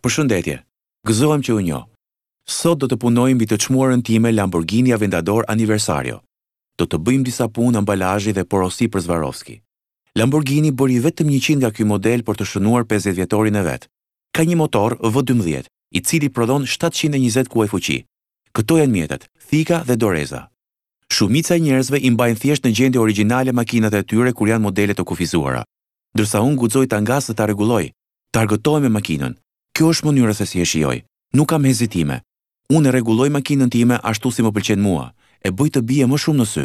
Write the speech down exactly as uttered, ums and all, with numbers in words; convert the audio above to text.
Përshëndetje. Gëzohem që ju njoh. Sot do të punoj mbi të çmuarën time Lamborghini Aventador Anniversario. Do të bëjmë disa punë ambalazhi dhe porosi për Swarovski. Lamborghini bëri vetëm njëqind nga ky model për të shënuar pesëdhjetë vjetorin e vet. Ka një motor V dymbëdhjetë, i cili prodhon shtatëqind e njëzet kuaj fuqi. Këto janë mjetet, thika dhe doreza. Shumica e njerëzve i mbajnë thjesht në gjendje origjinale makinat e tyre kur janë modele të kufizuara. Ndërsa unë guxoj ta ngas dhe ta rregulloj, të argëtohem me makinën. Kjo është mënyra se si e shijoj. Nuk kam hezitime. Unë e rregulloj makinën time ashtu si më pëlqen mua, e bëj të bie më shumë në sy.